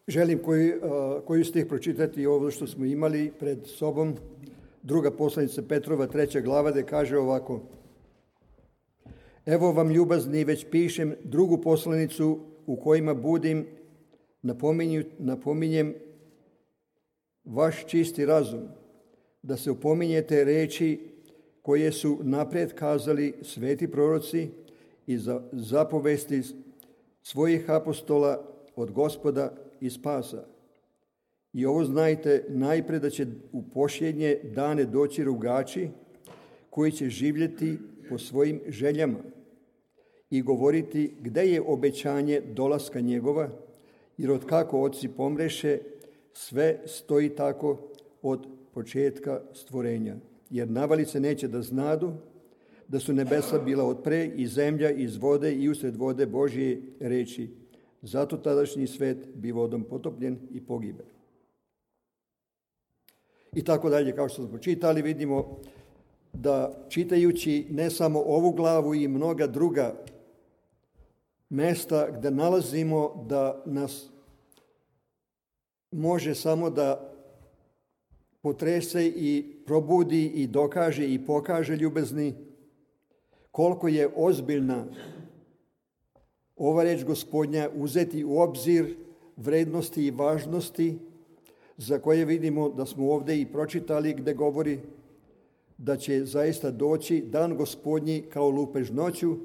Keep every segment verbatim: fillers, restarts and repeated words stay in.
Želim koji, koju stih pročitati ovo što smo imali pred sobom. Druga poslanica Petrova, treća glava, gde kaže ovako: Evo vam, ljubazni, već pišem drugu poslanicu u kojima budim, napominju, napominjem vaš čisti razum, da se opominjete reči koje su napred kazali sveti proroci i za zapovesti svojih apostola od Gospoda i spasa. I ovo znajte najpre, da će u posljednje dane doći rugači koji će živjeti po svojim željama i govoriti gde je obećanje dolaska njegova, jer od kako oci pomreše, sve stoji tako od početka stvorenja. Jer navalice neće da znadu da su nebesa bila od pre i zemlja iz vode i usred vode Božje reči. Zato tadašnji svet bi vodom potopljen i pogibe. I tako dalje, kao što smo čitali, vidimo da čitajući ne samo ovu glavu i mnoga druga mesta gde nalazimo da nas može samo da potrese i probudi i dokaže i pokaže, ljubezni, koliko je ozbiljna ova reč Gospodnja, uzeti u obzir vrednosti i važnosti za koje vidimo da smo ovdje i pročitali, gde govori da će zaista doći dan Gospodnji kao lupež noću,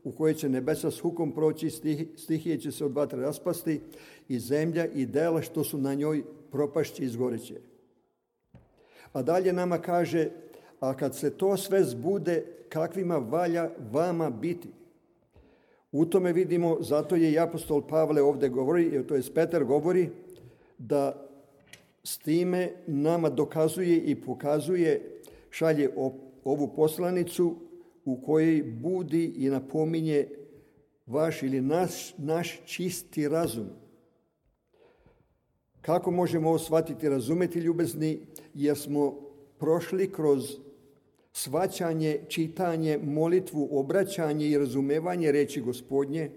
u kojoj će nebesa s hukom proći, stihije će se od vatre raspasti i zemlja i dela što su na njoj propašće i izgoreće. A dalje nama kaže, a kad se to sve zbude, kakvima valja vama biti? U tome vidimo, zato je i apostol Pavle ovdje govori, to je Petar govori, da s time nama dokazuje i pokazuje, šalje ovu poslanicu u kojoj budi i napominje vaš ili naš, naš čisti razum. Kako možemo ovo shvatiti, razumeti, ljubezni? Jer smo prošli kroz shvaćanje, čitanje, molitvu, obraćanje i razumevanje reči Gospodnje,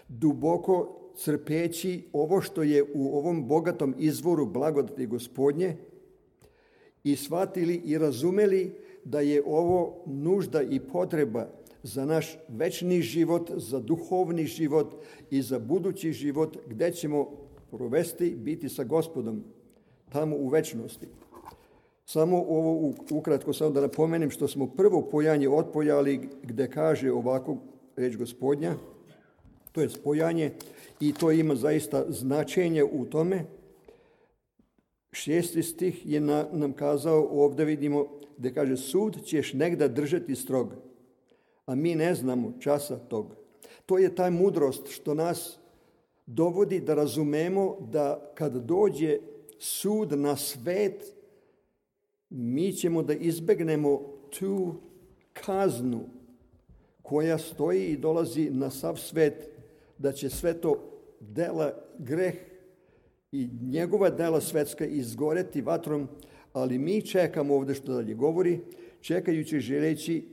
duboko crpeći ovo što je u ovom bogatom izvoru blagodati Gospodnje i shvatili i razumeli da je ovo nužda i potreba za naš večni život, za duhovni život i za budući život gde ćemo provesti, biti sa Gospodom tamo u večnosti. Samo ovo ukratko samo da napomenem što smo prvo pojanje otpojali gde kaže ovako reč Gospodnja, to je spojanje i to ima zaista značenje u tome. Šesti stih je na, nam kazao, ovdje vidimo gde kaže sud ćeš negda držati strog, a mi ne znamo časa tog. To je ta mudrost što nas dovodi da razumemo da kad dođe sud na svet, mi ćemo da izbegnemo tu kaznu koja stoji i dolazi na sav svet, da će sve to dela, greh i njegova dela svetska izgoreti vatrom, ali mi čekamo ovdje što dalje govori, čekajući želeći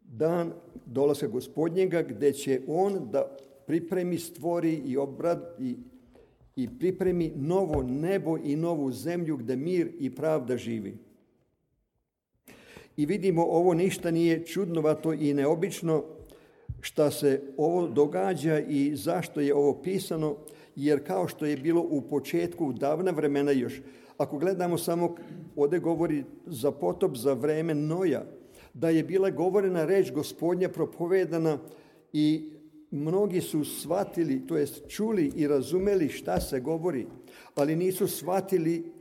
dan dolaska Gospodnjega, gde će on da pripremi, stvori i obrad i, i pripremi novo nebo i novu zemlju gde mir i pravda živi. I vidimo, ovo ništa nije čudnovato i neobično šta se ovo događa i zašto je ovo pisano, jer kao što je bilo u početku davna vremena još, ako gledamo samo, ovdje govori za potop, za vreme Noja, da je bila govorena reč Gospodnja propovedana i mnogi su shvatili, to jest čuli i razumeli šta se govori, ali nisu shvatili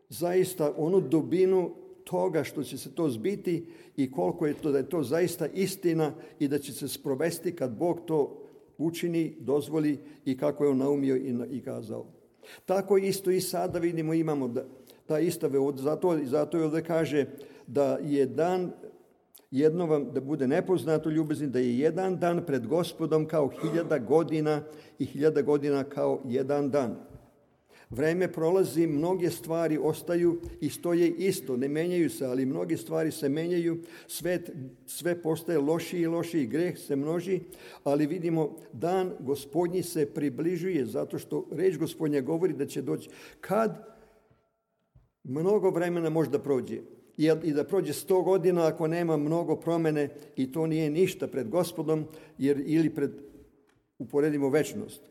zaista onu dubinu toga što će se to zbiti i koliko je to da je to zaista istina i da će se sprovesti kad Bog to učini, dozvoli i kako je on naumio i kazao. Tako isto i sada vidimo, imamo da, ta istave, zato, zato je ovdje kaže da je dan, jedno vam da bude nepoznato, ljubezni, da je jedan dan pred Gospodom kao hiljada godina i hiljada godina kao jedan dan. Vreme prolazi, mnoge stvari ostaju i stoje isto, ne menjaju se, ali mnoge stvari se menjaju, svet, sve postaje lošiji i lošiji, greh se množi, ali vidimo dan Gospodnji se približuje, zato što reč Gospodnja govori da će doći kad mnogo vremena možda prođe. I da prođe sto godina ako nema mnogo promene i to nije ništa pred Gospodom, jer ili pred, uporedimo večnost.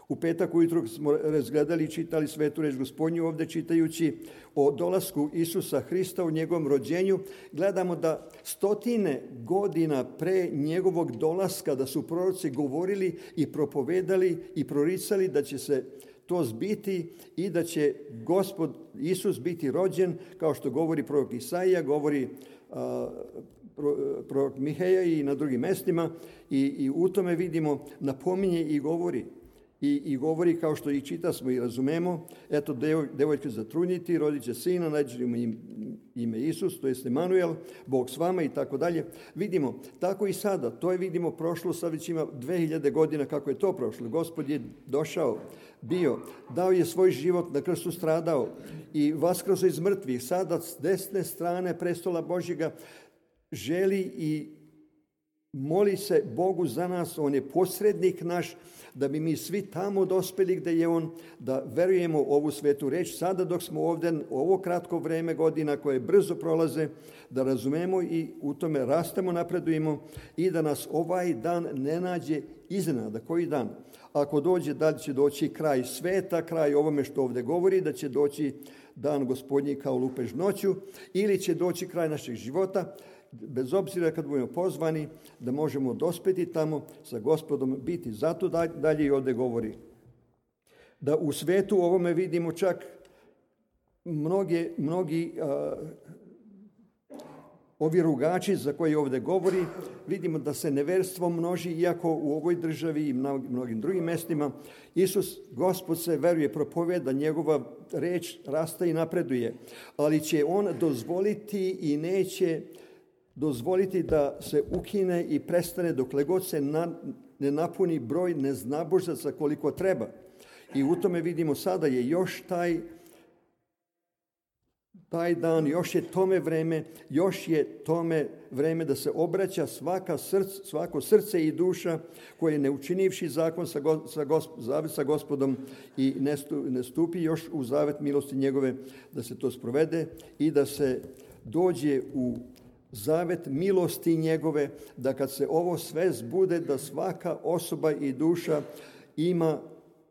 U petak ujutro smo razgledali i čitali svetu reč Gospodnju, ovdje čitajući o dolasku Isusa Hrista, u njegovom rođenju, gledamo da stotine godina pre njegovog dolaska, da su proroci govorili i propovedali i proricali da će se to zbiti i da će Gospod Isus biti rođen, kao što govori prorok Isaija, govori a, prorok Miheja i na drugim mestima, i, i u tome vidimo, napominje i govori. I, i govori kao što i čita smo i razumemo, eto devoj, devojka zatrudniti, rodit će sina, naći mu ime, ime Isus, to jest Emanuel, Bog s vama i tako dalje. Vidimo, tako i sada, to je vidimo prošlo, sad već ima dve hiljade godina kako je to prošlo. Gospod je došao, bio, dao je svoj život, na krstu stradao i vaskrsao iz mrtvih, sada s desne strane prestola Božjega želi i moli se Bogu za nas, on je posrednik naš, da bi mi svi tamo dospeli gdje je on, da verujemo ovu svetu reč. Sada dok smo ovdje, ovo kratko vreme godina koje brzo prolaze, da razumemo i u tome rastemo, napredujemo i da nas ovaj dan ne nađe iznenada. Koji dan? Ako dođe, da li će doći kraj sveta, kraj ovome što ovdje govori, da će doći dan Gospodnji kao lupež noću, ili će doći kraj našeg života, bez obzira kad budemo pozvani, da možemo dospeti tamo sa Gospodom, biti. Zato dalje i ovdje govori. Da u svetu ovome vidimo čak mnogi, mnogi a, ovi rugači za koje ovdje govori, vidimo da se neverstvo množi, iako u ovoj državi i mnogim drugim mjestima Isus, Gospod se veruje, propoveda, njegova reč rasta i napreduje, ali će on dozvoliti i neće dozvoliti da se ukine i prestane dokle god se na, ne napuni broj neznabožaca koliko treba. I u tome vidimo sada je još taj, taj dan, još je tome vreme, još je tome vreme da se obraća svaka srce, svako srce i duša koje ne učinivši zakon sa, go, sa, gosp, zavet sa Gospodom i ne, stu, ne stupi još u zavet milosti njegove, da se to sprovede i da se dođe u zavet milosti njegove, da kad se ovo sve zbude, da svaka osoba i duša ima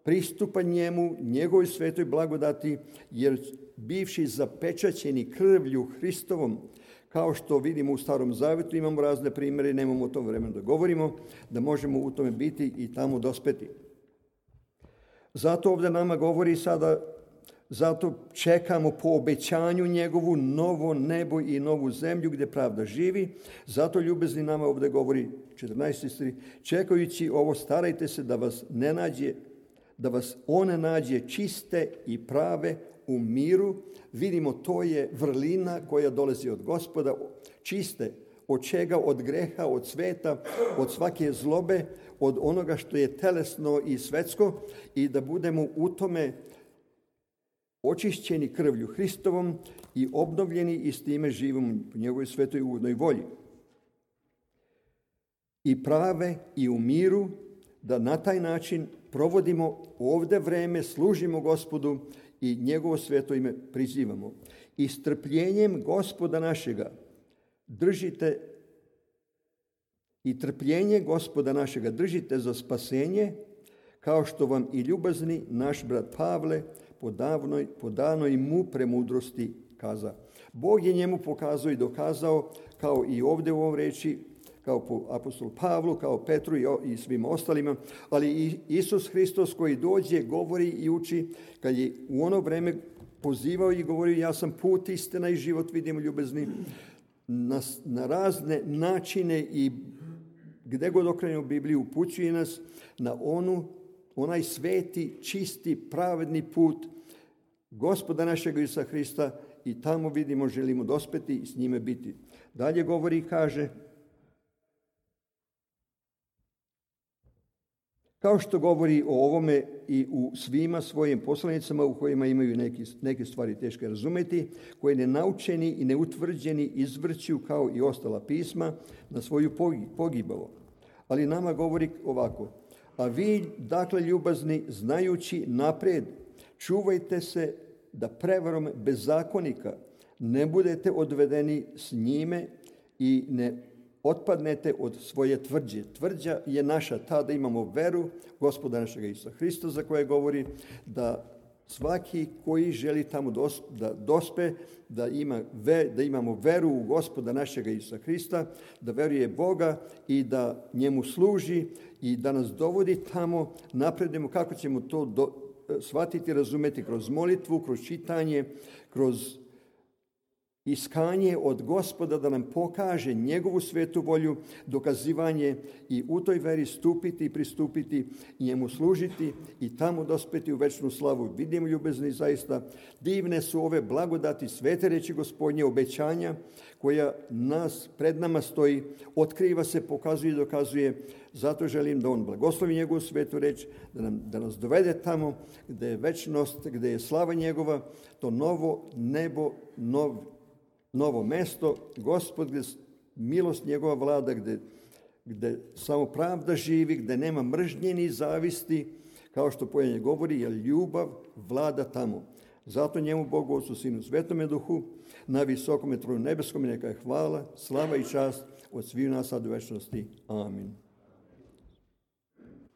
pristupa njemu, njegovoj svetoj blagodati, jer bivši zapečaćeni krvlju Hristovom, kao što vidimo u Starom Zavetu, imamo razne primjere, nemamo o tom vremenu da govorimo, da možemo u tome biti i tamo dospeti. Zato ovdje nama govori sada, zato čekamo po obećanju njegovu novo nebo i novu zemlju gdje pravda živi. Zato ljubezni nama ovdje govori četrnaesti stih, čekajući ovo starajte se da vas ne nađe, da vas one nađe čiste i prave u miru. Vidimo, to je vrlina koja dolazi od Gospoda, čiste. Od čega? Od greha, od sveta, od svake zlobe, od onoga što je telesno i svetsko, i da budemo u tome očišćeni krvlju Hristovom i obnovljeni i s time živimo u njegovoj svetoj ugodnoj volji. I prave i u miru, da na taj način provodimo ovdje vreme, služimo Gospodu i njegovo sveto ime prizivamo. I strpljenjem Gospoda našega držite i trpljenje Gospoda našega držite za spasenje, kao što vam i ljubazni naš brat Pavle po davnoj, po danoj mu premudrosti kaza. Bog je njemu pokazao i dokazao, kao i ovdje u ovom reči, kao po apostolu Pavlu, kao Petru i, i svim ostalima, ali i Isus Hristos koji dođe, govori i uči, kad je u ono vreme pozivao i govorio, ja sam put, istina i život, vidimo ljubezni, na, na razne načine i gdje god okrenemo Bibliju, upućuje nas na onu, onaj sveti, čisti, pravedni put Gospoda našeg Isusa Hrista, i tamo vidimo, želimo dospeti i s njime biti. Dalje govori i kaže, Kao što govori o ovome i u svima svojim poslanicama u kojima imaju neki, neke stvari teške razumeti, koje nenaučeni i neutvrđeni izvrću kao i ostala pisma na svoju pogibavo. Ali nama govori ovako: a vi, dakle, ljubazni, znajući naprijed, čuvajte se da prevarom bezakonika ne budete odvedeni s njime i ne otpadnete od svoje tvrđe. Tvrđa je naša ta da imamo veru Gospoda našega Isusa Hrista, za koje govori da svaki koji želi tamo da dospe, da, ima, da imamo veru u Gospoda našega Isusa Hrista, da veruje Boga i da njemu služi i da nas dovodi tamo, napredujemo. Kako ćemo to do, shvatiti, razumeti? Kroz molitvu, kroz čitanje, kroz iskanje od Gospoda da nam pokaže njegovu svetu volju, dokazivanje i u toj veri stupiti i pristupiti, njemu služiti i tamo dospeti u večnu slavu. Vidimo, ljubezni, zaista divne su ove blagodati, svete reči Gospodnje, obećanja koja nas, pred nama stoji, otkriva se, pokazuje i dokazuje. Zato želim da on blagoslovi njegovu svetu reč, da, nam, da nas dovede tamo gdje je večnost, gdje je slava njegova, to novo nebo, nov novo mesto, Gospod, gdje milost njegova vlada, gdje, gdje samo pravda živi, gdje nema mržnje ni zavisti, kao što pojenje govori, jer ljubav vlada tamo. Zato njemu, Bogu, Otcu, Sinu, Svetome Duhu, na visokome tronu nebeskom, neka je hvala, slava i čast od svih nas sad u večnosti. Amin.